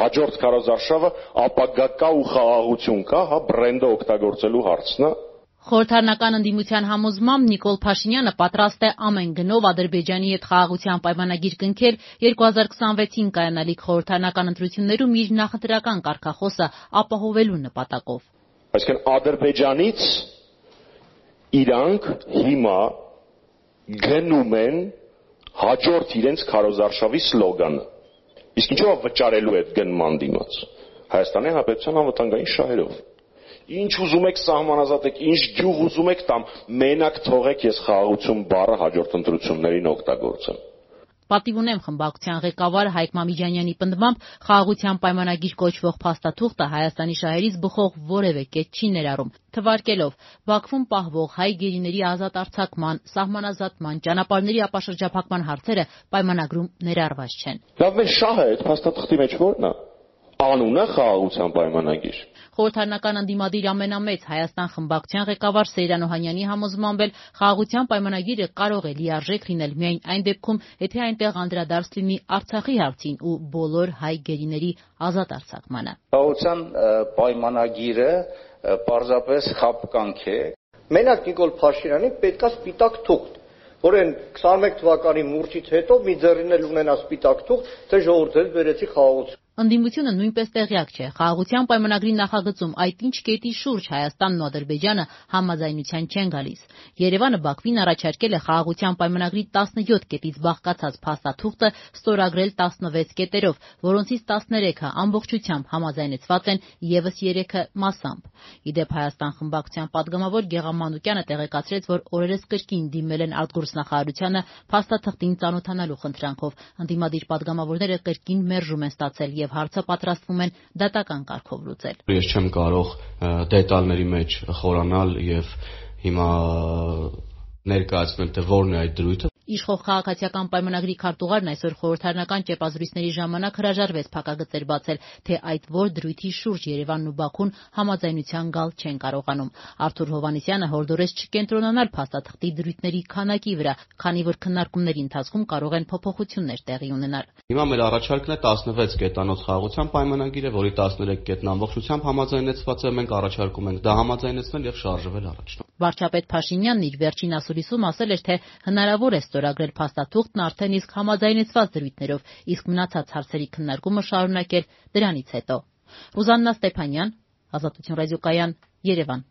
հաջորդ քարոզարշավը ապագա կա ու խաղաղություն կա, հա, բրենդը օգտագործելու հարցն է։ Խորհրդարանական ընդդիմության համոզմամբ Նիկոլ Փաշինյանը պատրաստ է ամեն գնով Ադրբեջանի հետ խաղաղության պայմանագիր կնքել 2026-ին կայանալիք խորհրդարանական ընտրություններում իր նախընտրական կարգախոսը ապահովելու նպատակով։ Այսինքն Ադրբեջանից իրանք հիմա գնում են հաջորդ իրենց քարոզարշավի սլոգանը։ Իսկ ինչով վճարելու այդ գնման դիմաց։ Հայաստանի Հանրապետության անվտանգային շահերով։ Ինչ ուզում եք սահմանազատեք, ինչ գյուղ ուզում եք տամ, մենակ թողեք ես խաղաղություն բառը հաջորդ ընտրություններին օգտագործեմ։ Պատիվ ունեմ խմբակցության ղեկավար Հայկ Մամիջանյանի պնդմամբ խաղաղության պայմանագիր կոչվող փաստաթուղթը Հայաստանի շահերից բխող որևէ կետ չի ներառում, թվարկելով Բաքվում պահվող հայ գերիների ազատ արձակման, սահմանազատման, ճանապարհների ապաշրջափակման հարցերը պայմանագրում ներառված չեն։ Լավ, մեր շահը այդ փաստաթղթի մեջ ո՞րն է։ Անունը խաղաղության պայմանագիր։ Խորհրդարանական ընդդիմադիր ամենամեծ Հայաստան խմբակցության ղեկավար Սեյրան Օհանյանի համոզմամբ էլ խաղաղության պայմանագիրը կարող է լիարժեք լինել միայն այն դեպքում, եթե այնտեղ անդրադարձ լինի Արցախի հարցին ու բոլոր հայ գերիների ազատ արձակմանը։ Խաղաղության պայմանագիրը պարզապես խաբկանք է։ Մենակ Նիկոլ Փաշինյանին պետքա սպիտակ թուղթ, որ այն 21 թվականի մուրճից հետո մի ձեռին էլ ունենա սպիտակ թուղթ, թե ժողովուրդ բերեցի խաղաղություն։ Ընդդիմությունը նույնպես տեղյակ չէ խաղաղության պայմանագրի նախագծում այդ ինչ կետի շուրջ Հայաստանն ու Ադրբեջանը համաձայնության չեն գալիս։ Երևանը Բաքվին առաջարկել է խաղաղության պայմանագրի 17 կետից բաղկացած փաստաթուղթը ստորագրել 16 կետերով, որոնցից 13-ը ամբողջությամբ համաձայնեցված են, ևս 3-ը մասամբ։ Իդեպ Հայաստան խմբակցության падգամավոր Գեղամ Մանուկյանը տեղեկացրեց, որ օրերս կրկին դիմել են արտգործնախարարությանը փաստաթղթին ծանոթանալու խնդրանքով։ Ընդդիմադիր падգամավորները կրկին մերժում են ստացել եւ հարցը պատրաստվում են դատական կարգով լուծել։ Ես չեմ կարող դետալների մեջ խորանալ եւ հիմա ներկայացնել, թե որն է այդ դրույթը։ Իշխող քաղաքացիական պայմանագրի քարտուղարն այսօր խորհրդարանական ճեպազրույցների ժամանակ հրաժարվեց փակագծեր բացել, թե այդ որ դրույթի շուրջ Երևանն ու Բաքուն համաձայնության գալ չեն կարողանում։ Արթուր Հովհաննիսյանը հորդորեց չկենտրոնանալ փաստաթղթի դրույթների քանակի վրա, քանի որ քննարկումների ընթացքում կարող են փոփոխություններ տեղի ունենալ։ Հիմա մեր առաջարկն է 16 կետանոց խաղաղության պայմանագիրը, որի 13 կետն ամբողջությամբ համաձայնեցված է, մենք առաջարկում ենք դա համաձայնեցնել եւ շարժվել առաջ։ Վարչապետ Փաշինյանն իր վերջին ասուլիսում ասել էր, թե հնարավոր է ստորագրել փաստաթուղթն արդեն իսկ համաձայնեցված դրույթներով, իսկ մնացած հարցերի քննարկումը շարունակել դրանից հետո։ Ռուզաննա Ստեփանյան, Ազատություն ռադիոկայան, Երևան։